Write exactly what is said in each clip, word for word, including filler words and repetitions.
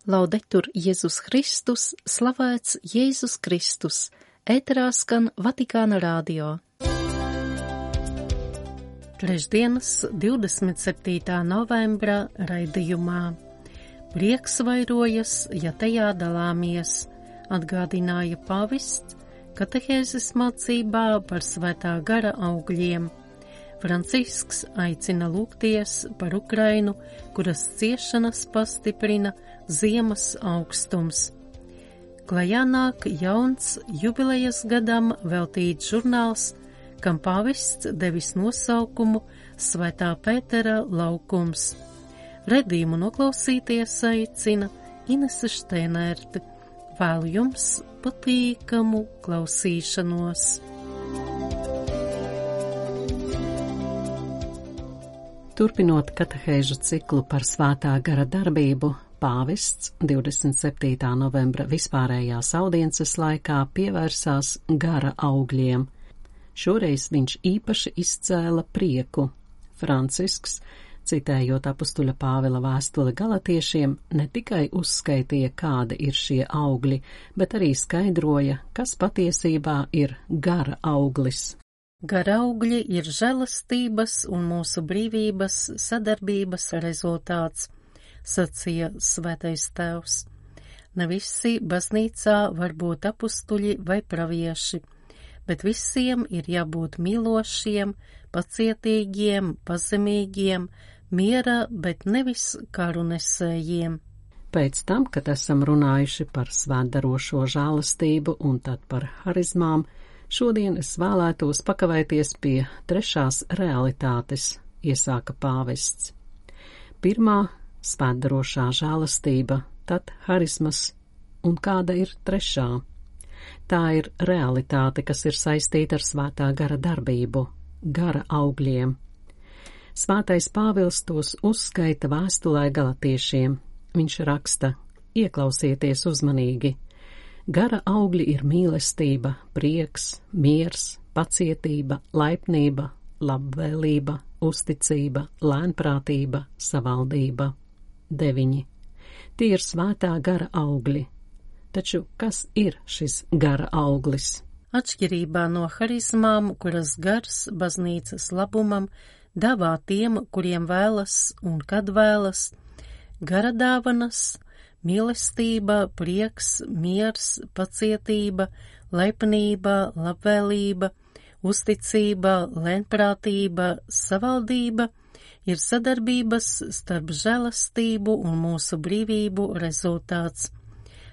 Laudetur Jēzus Kristus, slavēts Jēzus Kristus, ēterā skan Vatikāna radio. Trešdienas, divdesmit septītā novembra raidījumā. Prieks vairojas, ja tajā dalāmies, atgādināja pavists katehēzes mācībā par svētā gara augļiem. Francisks aicina lūgties par Ukrainu, kuras ciešanas pastiprina ziemas augstums. Klajā nāk jauns jubilejas gadam veltīts žurnāls, kam pavists devis nosaukumu Svētā Pētera laukums. Redījumu noklausīties aicina Inese Šteinerte. Vēlu jums patīkamu klausīšanos. Turpinot katehēžu ciklu par svētā gara darbību, pāvests divdesmit septītā novembra vispārējās audiences laikā pievērsās gara augļiem. Šoreiz viņš īpaši izcēla prieku. Francisks, citējot apustuļa Pāvila vēstuli galatiešiem, ne tikai uzskaitīja, kādi ir šie augļi, bet arī skaidroja, kas patiesībā ir gara auglis. Gara augļi ir žēlastības un mūsu brīvības sadarbības rezultāts, sacīja Svētais Tēvs. Ne visi baznīcā var būt apustuļi vai pravieši, bet visiem ir jābūt mīlošiem, pacietīgiem, pazemīgiem, miera, bet nevis karu nesējiem. Pēc tam, kad esam runājuši par svētdarošo žēlastību un tad par harizmām, šodien es vēlētos pakavēties pie trešās realitātes, iesāka pāvests. Pirmā – svētdarošā žēlastība, tad harizmas, un kāda ir trešā? Tā ir realitāte, kas ir saistīta ar svētā gara darbību, gara augļiem. Svētais Pāvils tos uzskaita vēstulē galatiešiem. Viņš raksta: ieklausieties uzmanīgi. Gara augļi ir mīlestība, prieks, miers, pacietība, laipnība, labvēlība, uzticība, lēnprātība, savaldība. Deviņi. Tie ir svētā gara augļi. Taču kas ir šis gara auglis? Atšķirībā no harizmām, kuras gars baznīcas labumam dāvā tiem, kuriem vēlas un kad vēlas, gara dāvanas, mīlestība, prieks, miers, pacietība, laipnība, labvēlība, uzticība, lēnprātība, savaldība ir sadarbības starp žēlastību un mūsu brīvību rezultāts.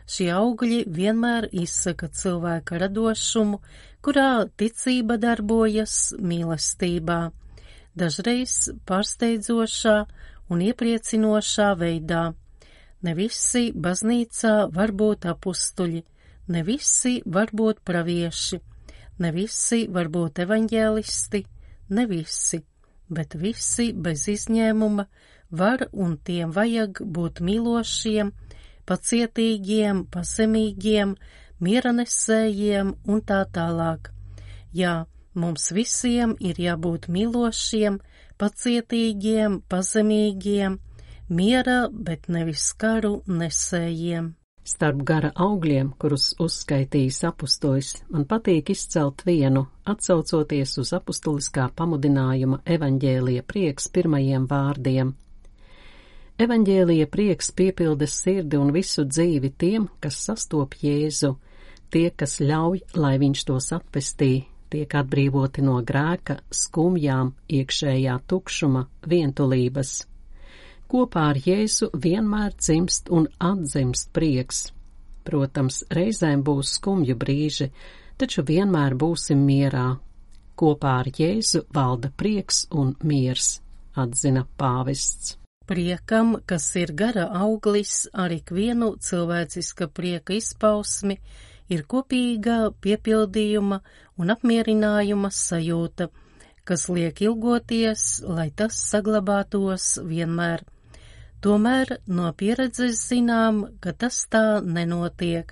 Šie augļi vienmēr izsaka cilvēka radošumu, kurā ticība darbojas mīlestībā, dažreiz pārsteidzošā un iepriecinošā veidā. Ne visi baznīcā var būt apustuļi, ne visi var būt pravieši, ne visi var būt evaņģēlisti, ne visi, bet visi bez izņēmuma var un tiem vajag būt mīlošiem, pacietīgiem, pazemīgiem, mieranesējiem un tā tālāk. Jā, mums visiem ir jābūt mīlošiem, pacietīgiem, pazemīgiem, miera, bet nevis karu nesējiem. Starp gara augļiem, kurus uzskaitījis apustulis, man patīk izcelt vienu, atsaucoties uz apustuliskā pamudinājuma evaņģēlija prieks pirmajiem vārdiem. Evaņģēlija prieks piepilda sirdi un visu dzīvi tiem, kas sastop Jēzu, tie, kas ļauj, lai viņš tos atpestī, tiek atbrīvoti no grēka, skumjām, iekšējā tukšuma, vientulības. Kopā ar Jēzu vienmēr dzimst un atzimst prieks. Protams, reizēm būs skumju brīži, taču vienmēr būsim mierā. Kopā ar Jēzu valda prieks un miers, atzina pāvests. Priekam, kas ir gara auglis, ar ikvienu cilvēciska prieka izpausmi, ir kopīga piepildījuma un apmierinājuma sajūta, kas liek ilgoties, lai tas saglabātos vienmēr. Tomēr no pieredzes zinām, ka tas tā nenotiek,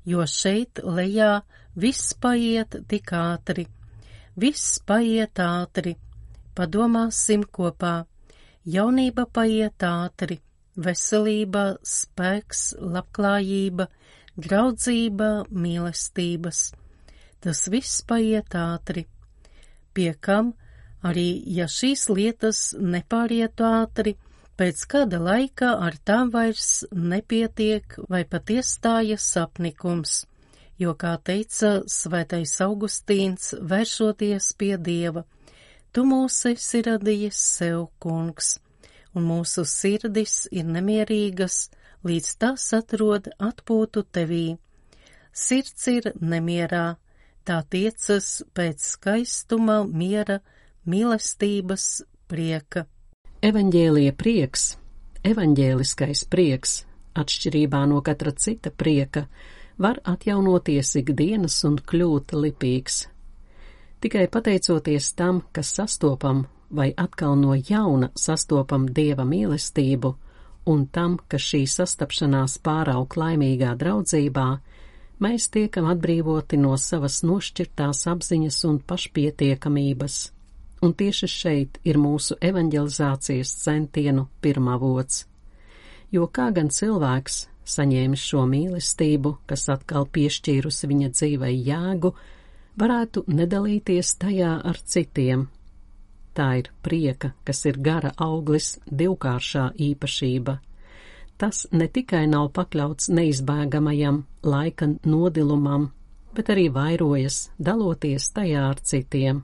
jo šeit lejā viss paiet tik ātri. Viss paiet ātri. Padomāsim kopā. Jaunība paiet ātri, veselība, spēks, labklājība, draudzība, mīlestības. Tas viss paiet ātri, pie kam arī, ja šīs lietas nepārietu ātri, pēc kāda laika ar tām vairs nepietiek vai pat iestājas sapnikums, jo, kā teica svētais Augustīns, vēršoties pie Dieva, tu mūs esi radījis sev, kungs, un mūsu sirdis ir nemierīgas, līdz tās atrod atpūtu tevī. Sirds ir nemierā, tā tiecas pēc skaistuma, miera, mīlestības, prieka. Evaņģēlija prieks, evaņģēliskais prieks, atšķirībā no katra cita prieka, var atjaunoties ikdienas un kļūt lipīgs. Tikai pateicoties tam, kas sastopam vai atkal no jauna sastopam Dieva mīlestību, un tam, ka šī sastapšanās pāraug laimīgā draudzībā, mēs tiekam atbrīvoti no savas nošķirtās apziņas un pašpietiekamības. Un tieši šeit ir mūsu evaņģelizācijas centienu pirmavots. Jo kā gan cilvēks, saņēmis šo mīlestību, kas atkal piešķīrusi viņa dzīvei jēgu, varētu nedalīties tajā ar citiem. Tā ir prieka, kas ir gara auglis, divkāršā īpašība. Tas ne tikai nav pakļauts neizbēgamajam laika nodilumam, bet arī vairojas, daloties tajā ar citiem.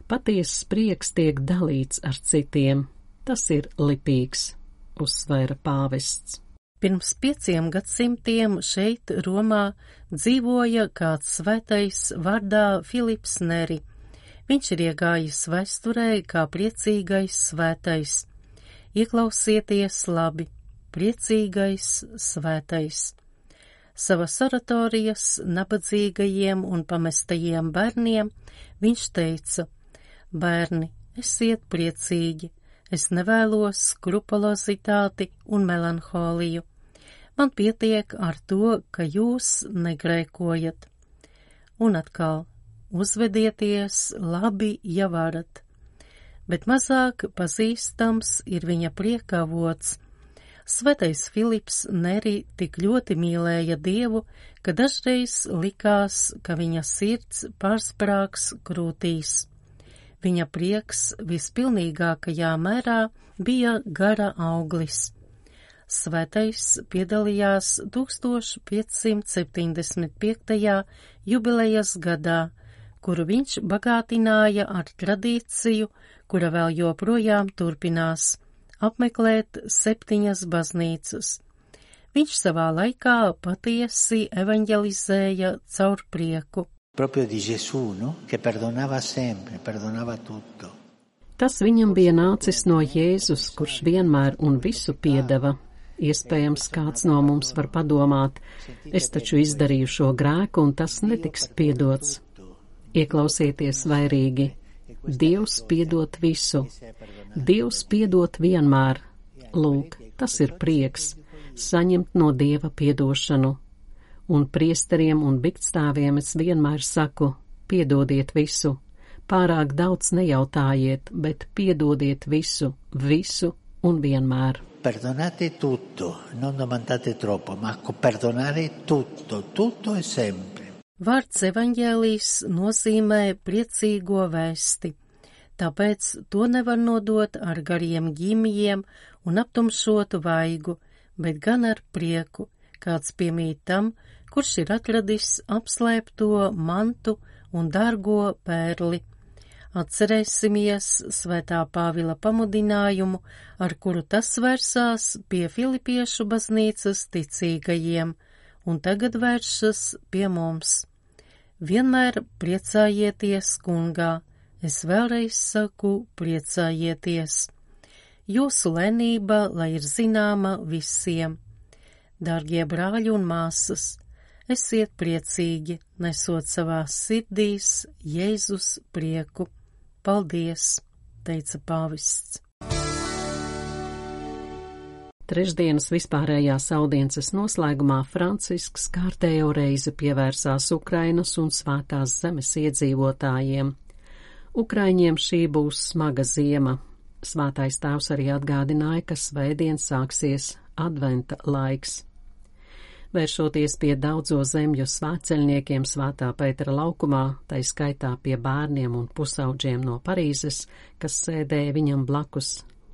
Patiesas prieks tiek dalīts ar citiem, tas ir lipīgs, uzsvēra pāvests. Pirms pieciem gadsimtiem šeit Romā dzīvoja kāds svētais vārdā Filips Neri. Viņš ir iegājis vēsturē kā priecīgais svētais. Ieklausieties labi, priecīgais svētais. Savas oratorijas nabadzīgajiem un pamestajiem bērniem viņš teica: bērni, esiet priecīgi, es nevēlos skrupulozitāti un melanholiju. Man pietiek ar to, ka jūs negrēkojat. Un atkal, uzvedieties labi, ja varat. Bet mazāk pazīstams ir viņa prieka avots. Svētais Filips Neri tik ļoti mīlēja Dievu, ka dažreiz likās, ka viņa sirds pārsprāgs krūtīs. Viņa prieks vispilnīgākajā mērā bija gara auglis. Svētais piedalījās tūkstoš piecsimt septiņdesmit piektajā jubilejas gadā, kuru viņš bagātināja ar tradīciju, kura vēl joprojām turpinās – apmeklēt septiņas baznīcas. Viņš savā laikā patiesi evaņģelizēja caur prieku. Proprio di Gesù, no? Che perdonava sempre, perdonava tutto. Tas viņam bija nācis no Jēzus, kurš vienmēr un visu piedeva. Iespējams, kāds no mums var padomāt, es taču izdarīju šo grēku un tas netiks piedots. Ieklausieties vairīgi. Dievs piedot visu. Dievs piedot vienmēr. Lūk, tas ir prieks, saņemt no Dieva piedošanu. Un priesteriem un biktstāviem es vienmēr saku, piedodiet visu. Pārāk daudz nejautājiet, bet piedodiet visu, visu un vienmēr. Perdonate tutto, non domandate troppo, ma perdonare tutto, tutto e sempre. Vārds evaņģēlijs nozīmē priecīgo vēsti, tāpēc to nevar nodot ar gariem ģimijiem un aptumšotu vaigu, bet gan ar prieku, kāds piemīt tam, kurš ir atradis apslēpto mantu un dārgo pērli. Atcerēsimies svētā Pāvila pamudinājumu, ar kuru tas vērsās pie filipiešu baznīcas ticīgajiem, un tagad vēršas pie mums. Vienmēr priecājieties, kungā, es vēlreiz saku priecājieties. Jūsu lēnība, lai ir zināma visiem. Dārgie brāļi un māsas, esiet priecīgi, nesot savās sirdīs Jēzus prieku. Paldies, teica pāvests. Trešdienas vispārējās audiences noslēgumā Francisks kārtējo reizi pievērsās Ukrainas un Svētās zemes iedzīvotājiem. Ukraiņiem šī būs smaga ziema. Svētais tēvs arī atgādināja, ka svētdien sāksies adventa laiks. Vēršoties pie daudzo zemju svētceļniekiem Svētā Pētera laukumā, tai skaitā pie bērniem un pusauģiem no Parīzes, kas sēdēja viņam blakus,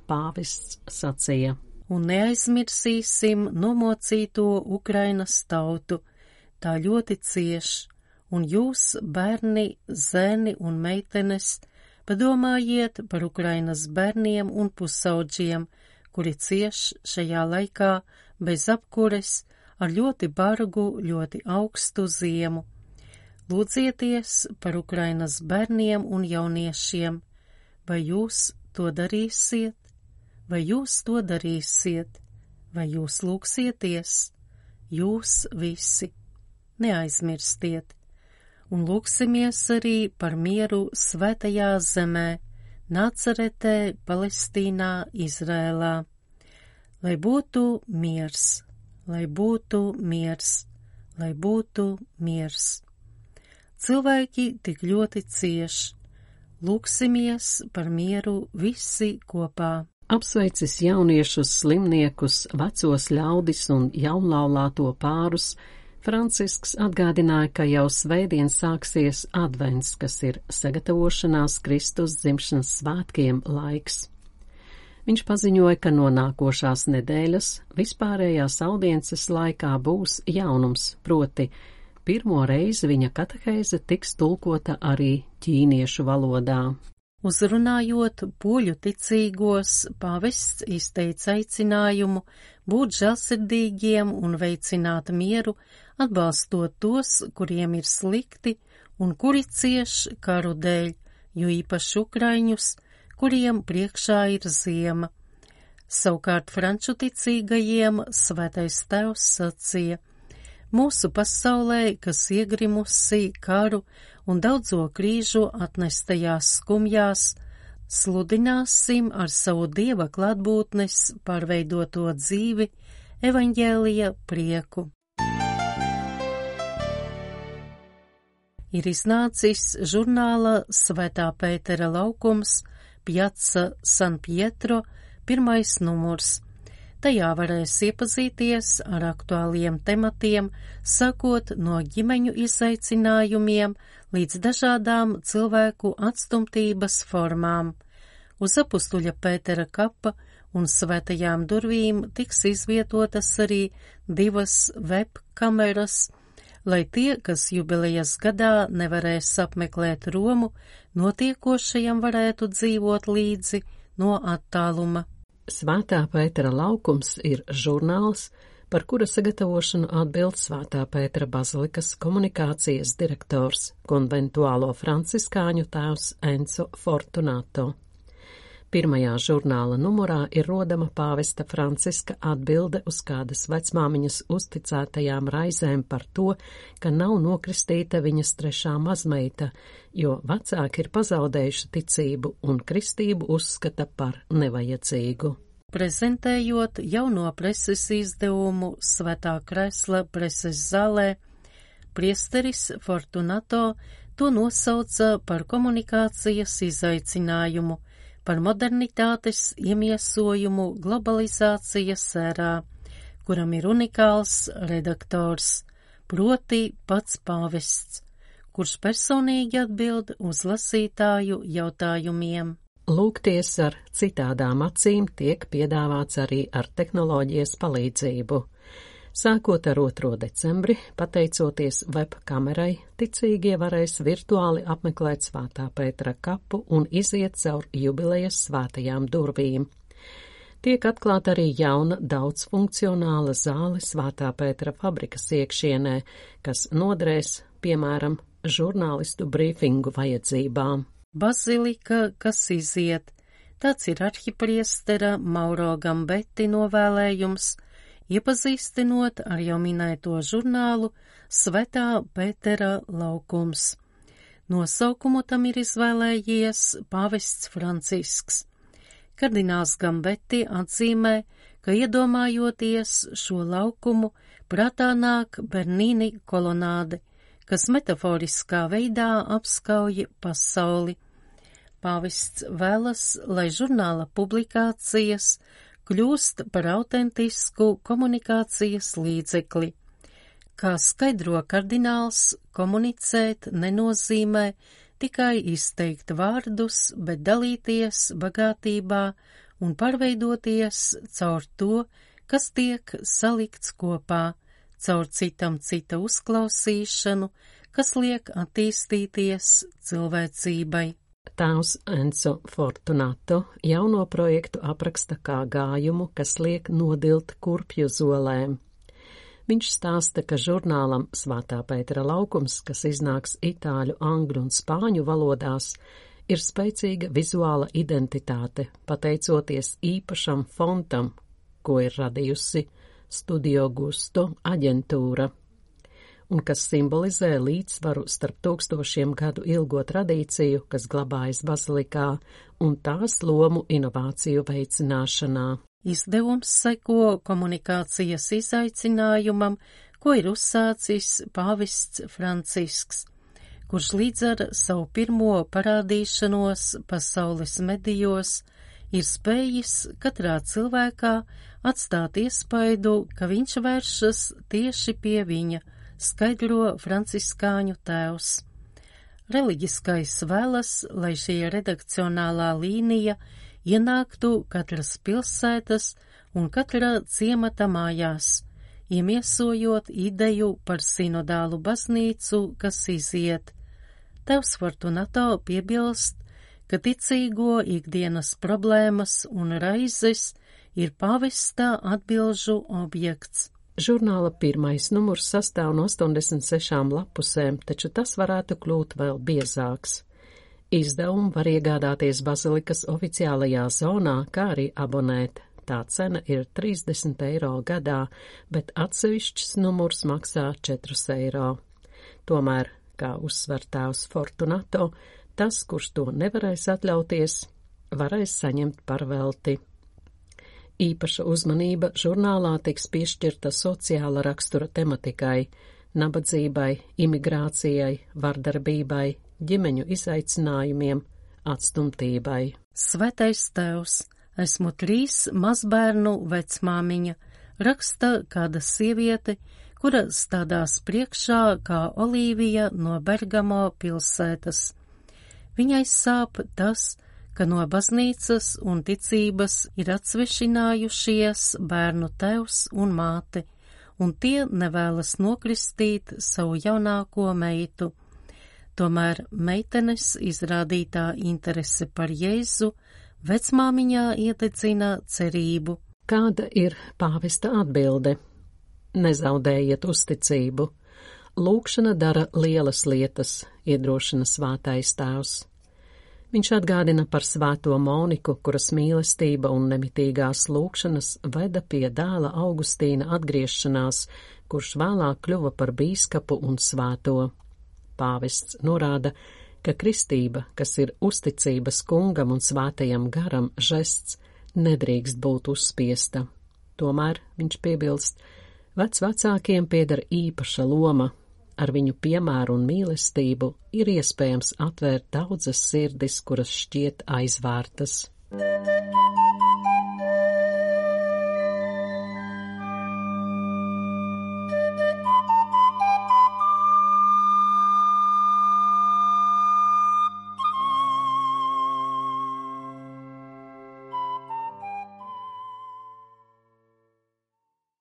pāvests sacīja: Un neaizmirsīsim nomocīto Ukrainas tautu, tā ļoti cieš, un jūs, bērni, zēni un meitenes, padomājiet par Ukrainas bērniem un pusauģiem, kuri cieš šajā laikā bez apkures, ar ļoti bargu, ļoti augstu ziemu. Lūdzieties par Ukrainas bērniem un jauniešiem. Vai jūs to darīsiet? Vai jūs to darīsiet? Vai jūs lūgsieties? Jūs visi. Neaizmirstiet. Un lūksimies arī par mieru svētajā zemē, Nacaretē, Palestīnā, Izrēlā. Lai būtu miers. Lai būtu miers, lai būtu miers. Cilvēki tik ļoti cieš. Lūksimies par mieru visi kopā. Apsveicis jauniešus, slimniekus, vecos ļaudis un jaunlaulāto pārus, Francisks atgādināja, ka jau svētdien sāksies advents, kas ir sagatavošanās Kristus dzimšanas svētkiem laiks. Viņš paziņoja, ka no nākošās nedēļas vispārējās audiences laikā būs jaunums, proti pirmo reizi viņa katehēze tiks tulkota arī ķīniešu valodā. Uzrunājot poļu ticīgos, pāvests izteica aicinājumu būt žēlsirdīgiem un veicināt mieru, atbalstot tos, kuriem ir slikti un kuri cieš karu dēļ, jo īpaši ukraiņus, kuriem priekšā ir ziema. Savukārt franču ticīgajiem svētais tēvs sacīja: mūsu pasaulē, kas iegrimusi karu un daudzo krīžu atnestajās skumjās, sludināsim ar savu Dieva klātbūtnes pārveidoto dzīvi evaņģēlija prieku. Ir iznācis žurnāla Svētā Pētera laukums Piazza San Pietro pirmais numurs. Tajā varēs iepazīties ar aktuāliem tematiem, sākot no ģimeņu izaicinājumiem līdz dažādām cilvēku atstumtības formām. Uz apustuļa Pētera kapa un svētajām durvīm tiks izvietotas arī divas webkameras, lai tie, kas jubilejas gadā nevarēs apmeklēt Romu, notiekošajam varētu dzīvot līdzi no attāluma. Svētā Pētera laukums ir žurnāls, par kura sagatavošanu atbild Svētā Pētera bazilikas komunikācijas direktors, konventuālo franciskāņu tēvs Enzo Fortunato. Pirmajā žurnāla numurā ir rodama pāvesta Franciska atbilde uz kādas vecmāmiņas uzticētajām raizēm par to, ka nav nokristīta viņas trešā mazmeita, jo vecāki ir pazaudējuši ticību un kristību uzskata par nevajadzīgu. Prezentējot jauno preses izdevumu Svētā Kresla preses zālē, priesteris Fortunato to nosauca par komunikācijas izaicinājumu, par modernitātes iemiesojumu globalizācijas ērā, kuram ir unikāls redaktors, proti pats pāvests, kurš personīgi atbild uz lasītāju jautājumiem. Lūgties ar citādām acīm tiek piedāvāts arī ar tehnoloģijas palīdzību. Sākot ar otro decembri, pateicoties webkamerai, ticīgie varēs virtuāli apmeklēt Svētā Pētera kapu un iziet caur jubilejas svētajām durvīm. Tiek atklāta arī jauna daudzfunkcionāla zāle Svētā Pētera fabrikas iekšienē, kas noderēs, piemēram, žurnālistu brīfingu vajadzībām. Bazilika, kas iziet, tāds ir arhipriestera Mauro Gambetti novēlējums, iepazīstinot ar jau minēto žurnālu Svētā Pētera laukums. Nosaukumu tam ir izvēlējies pāvests Francisks. Kardināls Gambetti atzīmē, ka iedomājoties šo laukumu, prātā nāk Bernīni kolonāde, kas metaforiskā veidā apskauj pasauli. Pāvests vēlas, lai žurnāla publikācijas kļūst par autentisku komunikācijas līdzekli. Kā skaidro kardināls, komunicēt nenozīmē tikai izteikt vārdus, bet dalīties bagātībā un pārveidoties caur to, kas tiek salikts kopā, caur citam cita uzklausīšanu, kas liek attīstīties cilvēcībai. Tēvs Enzo Fortunato jauno projektu apraksta kā gājumu, kas liek nodilt kurpju zolēm. Viņš stāsta, ka žurnālam Svētā Pētera laukums, kas iznāks itāļu, angļu un spāņu valodās, ir spēcīga vizuāla identitāte, pateicoties īpašam fontam, ko ir radījusi Studio Gusto aģentūra, un kas simbolizē līdzsvaru starp tūkstošiem gadu ilgo tradīciju, kas glabājas bazilikā, un tās lomu inovāciju veicināšanā. Izdevums seko komunikācijas izaicinājumam, ko ir uzsācis pāvests Francisks, kurš līdz ar savu pirmo parādīšanos pasaules medijos ir spējis katrā cilvēkā atstāt iespaidu, ka viņš vēršas tieši pie viņa, skaidro franciskāņu tēvs. Reliģiskais vēlas, lai šī redakcionālā līnija ienāktu katras pilsētas un katra ciemata mājās, iemiesojot ideju par sinodālu baznīcu, kas iziet. Tēvs Fortunato piebilst, ka ticīgo ikdienas problēmas un raizes ir pāvesta atbilžu objekts. Žurnāla pirmais numurs sastāv no astoņdesmit sešām lapusēm, taču tas varētu kļūt vēl biezāks. Izdevumu var iegādāties bazilikas oficiālajā zonā, kā arī abonēt. Tā cena ir trīsdesmit eiro gadā, bet atsevišķs numurs maksā četrus eiro. Tomēr, kā uzsver tēvs Fortunato, tas, kurš to nevarēs atļauties, varēs saņemt par velti. Īpaša uzmanība žurnālā tiks piešķirta sociāla rakstura tematikai, nabadzībai, imigrācijai, vardarbībai, ģimeņu izaicinājumiem, atstumtībai. Svētais tēvs, esmu trīs mazbērnu vecmāmiņa, raksta kāda sieviete, kura stādās priekšā kā Olīvija no Bergamo pilsētas. Viņai sāp tas, ka no baznīcas un ticības ir atsvešinājušies bērnu tēvs un māte, un tie nevēlas nokristīt savu jaunāko meitu. Tomēr meitenes izrādītā interese par Jēzu vecmāmiņā iededzina cerību. Kāda ir pāvesta atbilde? Nezaudējiet uzticību. Lūkšana dara lielas lietas, iedrošina svētais tēvs. Viņš atgādina par svēto Moniku, kuras mīlestība un nemitīgās lūkšanas veda pie dēla Augustīna atgriešanās, kurš vēlāk kļuva par bīskapu un svēto. Pāvests norāda, ka kristība, kas ir uzticības kungam un svētajam garam žests, nedrīkst būt uzspiesta. Tomēr, viņš piebilst, vecvecākiem pieder īpaša loma. Ar viņu piemēru un mīlestību ir iespējams atvērt daudzas sirdis, kuras šķiet aizvērtas.